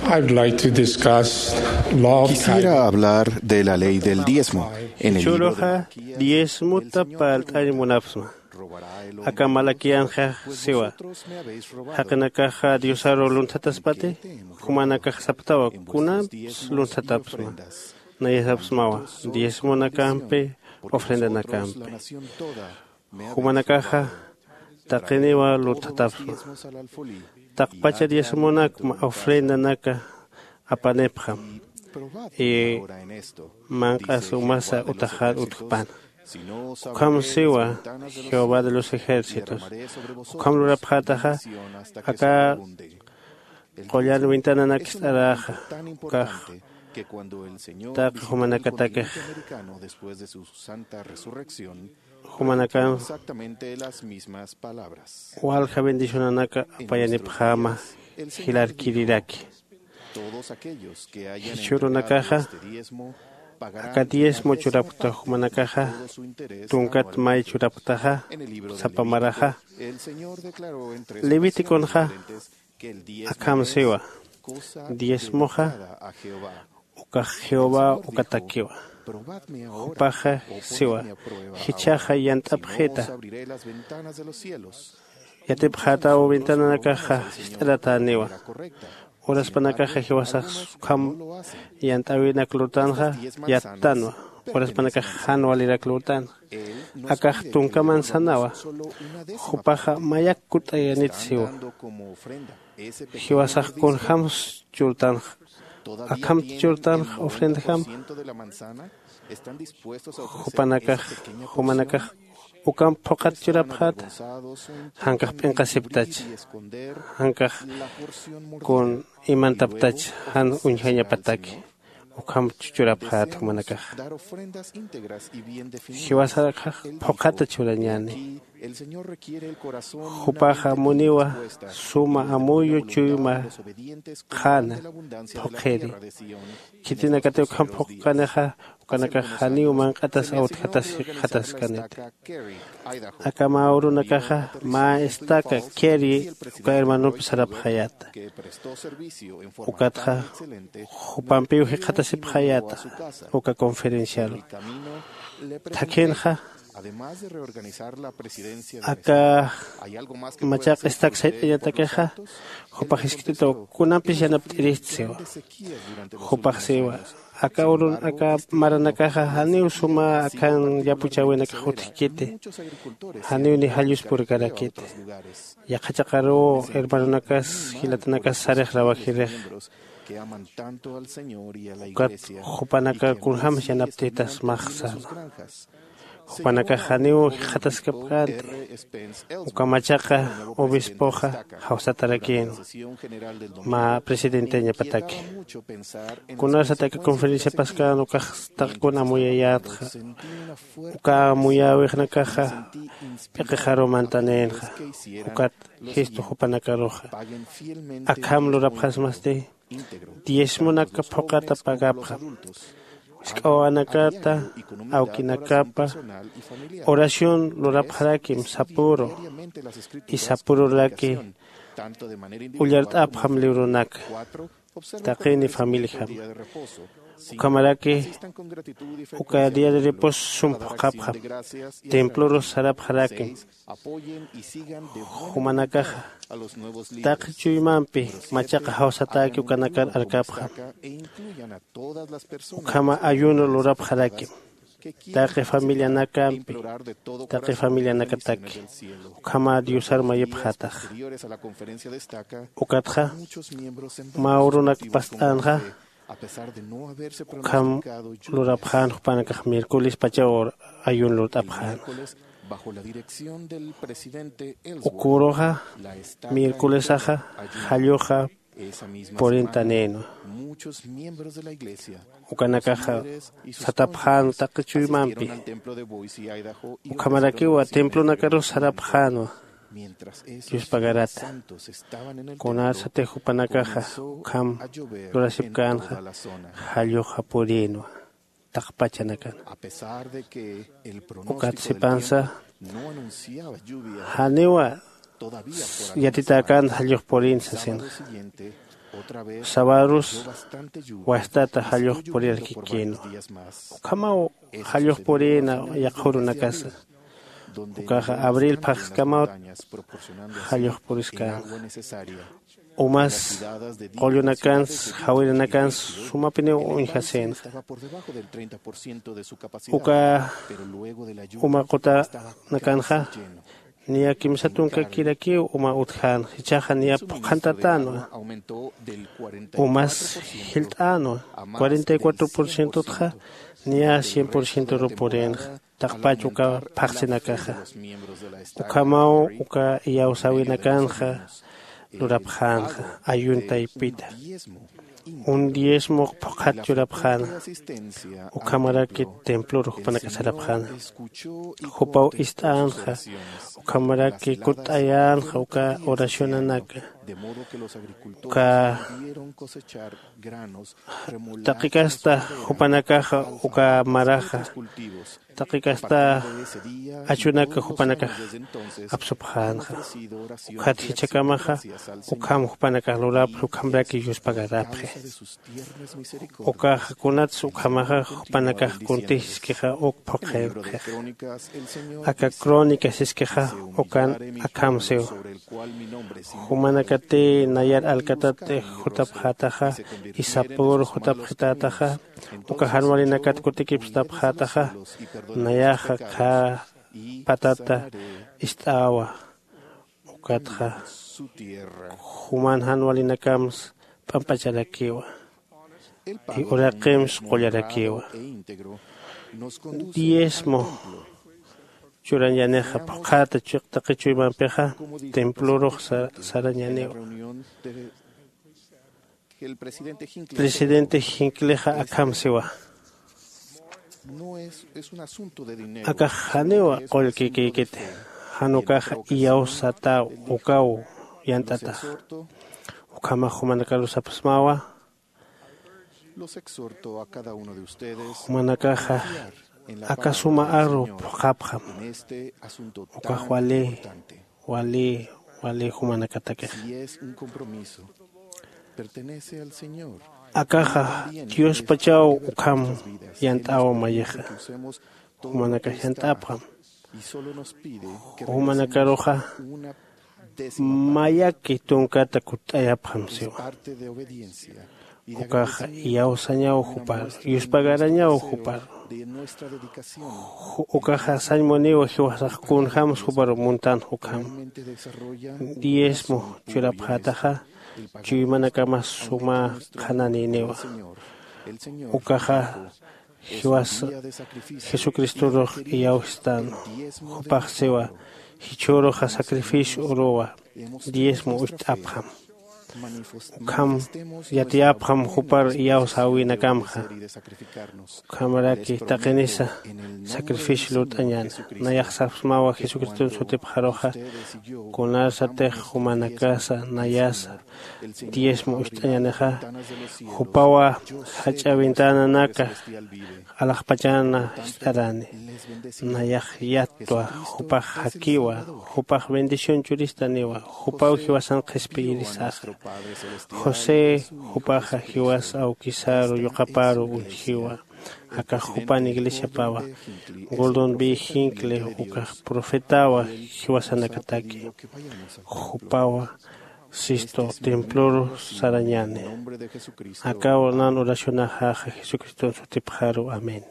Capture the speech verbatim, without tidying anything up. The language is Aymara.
I'd like to discuss love. Quisiera hablar de la ley del diezmo. En el libro de Jichhüruxa diezmota parlt'añ munapxsma. Aka Malaquianxa siwa: Jaqinakaxa Diosaru lunthatasipati, jumanakax sapxtawa: Kunampis lunthatapxsma. Nayasapxsmawa: Diezmonakampi, ofrendanakampi. Jumanakaxa taqiniwa lunthatapxsma. Taqpacha diezmonakma ofrendanaka apanipxam. Y manq'as umasa utaxar utjpana. Ukham siwa Jehová de los ejércitos. Ukham lurapxätaxa, aka qullan ventananak ist'aräxa, ukax taqi jumanakatakix jumanakan walja bendicionanaka apayanipxäma jilarkiriraki. Jichhürunakaxa aka diezmo churapkta jumanakaxa, tunkat may churapktaxa, sapa maraxa, Leviticonxa akham siwa: Diezmoxa ukax Jehová ukatakiwa. Jupaxa siwa: Jichhaxa yant'apxita. Yatipxätaw ventananakaxa jist'aratäniwa. Uraspanakaxa jiwasax ukham yant'äwinak lurtanxa, yattanwa. Uraspanakax jan walirak lurtanxa. Akax tunka manzanawa. Jupaxa mayak kutt'ayanit siwa. Jiwasax kunjams churtanxa, akhamti churtanxa ofrendajam. Jupanakax, jumanakax ukamp phuqhat churapxäta, jankax p'inqasipktach, jankax kun imantapktach, jan uñjañapataki. Ukham churapxät jumanakax. Jiwasarax phuqhata churañäni. Jupaxa muniwa suma amuyu chuyma qhana phuqhiri. Khitinakati ukham phuqhanixa, ukanakax janiw manq'atas awtjatas jikxataskaniti. Aka mä urunakaxa mä estaca Carey uka hermanompi sarapxayäta. Ukatxa jupampiw jikxatasipxayäta uka conferenciaru. Thakhinxa aka machaq estaca sayt'añatakixa, jupax jiskt'itaw: Kunampis yanapt'irist siwa. Jupax siwa: Aka urun, aka maranakaxa janiw suma akhan yapuchäwinakax utjkiti, janiw ni jallus purkarakiti. Yaqha chaqaruw hermanonakas, jilatanakas sarix rawajirix. Ukat jupanaka kunjams yanapt'ita smax säna. Jupanakax janiw jikxataskapkänti. Uka machaqa obispoxa jawsatarakïnwa, mä presidenteñapataki. Kunasat aka conferenciapaskän ukax taqkun amuyayätxa, uka amuyäwixnakaxa p'iqixaru mantanïnxa. Ukat jistu jupanakaruxa akham lurapxasmasti, diezmonaka phuqhata pagapxam. Jisk'a wawanakata, awkinakapa oración lurapxarakim sapüru, y sapüruraki ullart'apxam librunaka, taqini familijam. Ukhamaraki uka día de reposo sum phuqhapxam, templorus sarapxarakim. Jumanakaxa taqi chuymampi machaqa jawsatäki ukanakar arkapxam. Ukhama ayuno lurapxarakim taqi familianakampi, taqi familianakataki. Ukhama Diosar mayipxätax. Ukatxa mä urunak past'änxa, ukham lurapxän jupanakax miércoles pachaw ayuno lurt'apxän. Uka uruxa miércolesaxa jalluxa purintanïnwa. Ukanakaxa satapxänwa taqi chuymampi. Ukhamarakiwa templonakarus sarapxänwa yuspagarata. Kunasatix jupanakaxa ukham lurasipkänxa, jalluxa purïnwa taqpachanakan. Ukat sipansa janiwa yatitäkänta jallux purin sasinxa. Sabarus wastata jallux purirkikïnwa. Ukhamaw jallux purïna yaqha urunakasa. Ukaxa abril phaxskamawt jallux puriskänxa. Umas qullunakansa jawirinakans sumapiniw uñjasïnxa. Uka uma qutanakanxa niya kimsa tunkakirakiw uma utjänxa, jichhaxa niya phuqhantatänwa. Umas jilt'änwa. Cuarenta y cuatro por cientotxa niya cien por cientoruw purïnxa taqpach uka phaxsinakaxa. Ukhamaw uka iyawsäwinakanxa lurapxänxa ayuntaypita. Un diezmo phuqhat churapxäna. Ukhamaraki templor jupanakas sarapxäna. Jupaw ist'änxa. Ukhamaraki kutt'ayänxa uka oracionanaka. Uka taqikasta jupanakaxa uka maraxa taqikasta achunaka jupanakax apsupxänxa. Ukhat jichhakamaxa ukham jupanakax lurapxi ukhamraki yuspagarapxi. Ukaxa kunatsa ukhamaxa jupanakax kuntij siskixa uk phuqhipxix. Aka crónica siskixa ukan akham siw. Jumanakatï nayar alkatat jutapxätaxa isapur jutapxitätaxa uka jan walinakat kutikipxtätaxa. Nayaxa khä patata ist'äwa. Ukatxa juman jan walinakamsa p'amp'acharakiwa. Uraqims qullarakiwa. Diezmo churañanixa phuqhata chiqtaqi chuymampixa templorux sarañaniwa. Presidente jinklixa akham siwa. Akax janiwa qullkikïkiti. Jan ukaxa iyawsatäw ukaw yant'ataxa. Ukhamax jumanakarus sapxsmawa. Jumanakaxa aka suma aru phuqhapxam. Ukax wali wali wali jumanakatakix. Akaxa diospachaw ukham yant'aw mayixa. Jumanakax yant'apxam. Jumanakaruxa mayaki tunkata kutt'ayapxam siwa. Ukaxa iyawsañaw juparu yuspagarañaw juparu. Ukaxa sañ muniwa jiwasax kunjämsa juparu muntanx ukham. Diezmo churapxätaxa chuymanakamas suma qhananïniwa. Ukaxa jiwasa jesucristorux iyawstan. Jupax siwa jichhüruxa sacrificio uruwa diezmo ucht'apxam. Ukham yatiyapxam jupar iyawsäwinakamxa. Ukhamaraki taqinisa sacrificio lurt'añäna. Nayax sapxsmawa jesucriston sutipxaruxa kunarsatix jumanakasa nayasa diezmo ucht'añänixa. Jupawa jach'a ventananaka alaxpachana jist'arani. Nayax yattwa jupax jakiwa. Jupax bendición churistaniwa. Jupaw jiwasan qhispiyirisaxa. José jupaxa jiwas awkisaru yuqaparu uñjiwa. Akax jupan iglesiapawa. Gordon b hinckley ukax profetawa jiwasanakataki. Jupawa sistu temploru sarañani. Akaw nan oracionaxaxa jesucriston sutipxaru amén.